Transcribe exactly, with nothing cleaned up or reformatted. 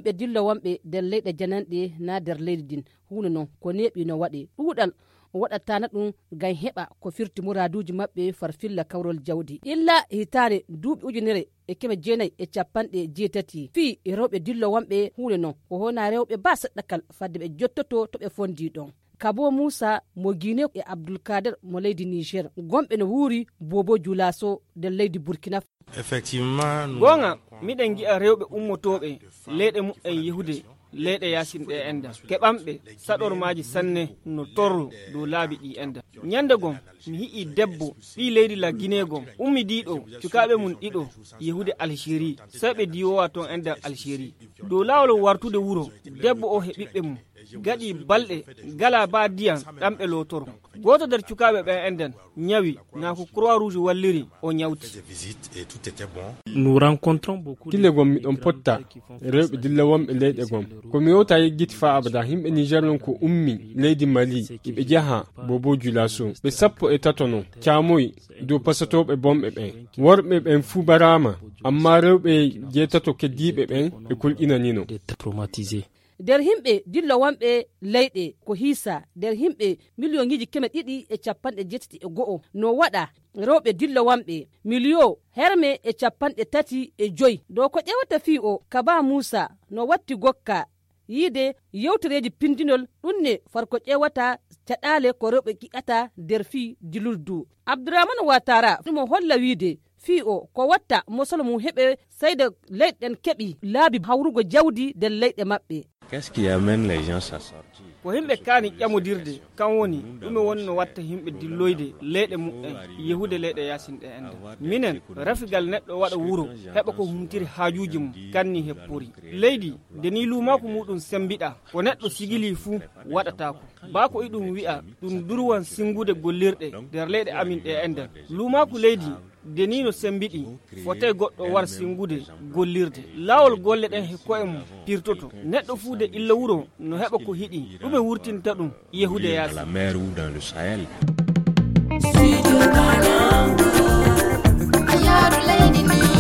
himɓe dilla wonɓe nder leyɗe jananɗe na nder leydi din hunde non ko neeɓi no waɗe ɗuuɗal waɗatana ɗum ngam heɓa ko firti muraduji maɓɓe farfilla kawrol jawdi illa hitande duuɓi ujunere e keme jeenayi e capanɗe jeetati fii e rewɓe dillo wonɓe hunde non ko hona rewɓe ba seɗɗakal fadde ɓe jottoto to ɓe fondi ɗon. Kabo Moussa mo Guinée e Abdoulkader mo leydi Niger gomɓe no wuuri Bobo Dioulasso nder leydi Burkina. Effectivement gonga miɗen gi'a rewɓe ummotoɓe leyɗe mu'en yehude leyɗe yasinɗe enda keɓamɓe saɗormaji sanne no torru dow laabi ɗi enda. Nyande gom mi hi'i debbo ɓi leydi la Guinée gom ummi diɗo cukaɓe mum ɗiɗo yehude Algérie sai ɓe diwowa ton enda Algérie dow lawol wartude wuro debbo o he ɓiɓɓe mum gaɗi balɗe gala ba diyan ɗam ɓe lotoro goto nder cukaɓe ɓen enden ñawi na ko Croix Rouge walliri o ñawti. Nous rencontrons beaucoup dille gom miɗon potta rewɓe dilla wonɓe leyɗe gom ko mi yewta yeggiti fa abada himɓe Niger non ko ummi leydi Mali iɓe jaha Bobo Dioulasso ɓe sappo e tato non camoyi dow pasatoɓe bomɓe ɓen worɓe ɓen fuu barama amma rewɓe jeetato keddiɓe ɓen ɓe kulƴinanino. nder himɓe dillo wonɓe leyɗe ko hiisa nder himɓe million iji keme ɗiɗi e capanɗe jettati e go'o no waɗa rewɓe dillo wonɓe million herme e capanɗe tati e joyi dow ko ƴewata fii o Kaba Moussa no watti gokka yiide yewtereji pindinol ɗumne farko ƴewata caɗale ko rewɓe gi'ata nder fii dilurdu. Abdourahmane Ouattara ɗumo holla wiide fii o ko watta mosol mum heɓe sayde leyɗen keɓi laabi hawrugo jawdi nder leyɗe maɓɓe. Qu'est-ce qui amène les gens à sortir? Ko himɓe kaani ƴamodirde kan woni ɗume woni no watta himɓe dilloyde leyɗe mu'en yehude leyɗe yasinɗe ende. Minen rafigal neɗɗo waɗa wuro heɓa ko humtiri haajuji mum kanni heppori leydi nde ni lumako muɗum sembiɗa ko neɗɗo sigili fuu waɗatako ba ko iɗum wi'a ɗum durwan singude gollirɗe nder leyɗe amin ɗe enden lumako leydi deni no sembiɗi fotai goɗɗo war singude gollirde lawol golle ɗen he koye mum pirtoto neɗɗo fuu de illa wuro no heɓa ko hiɗi ɗume wurtinta ɗum yehude yaasi. La mer ou dans le Sahel. Studio Ghana, Ayaru Lady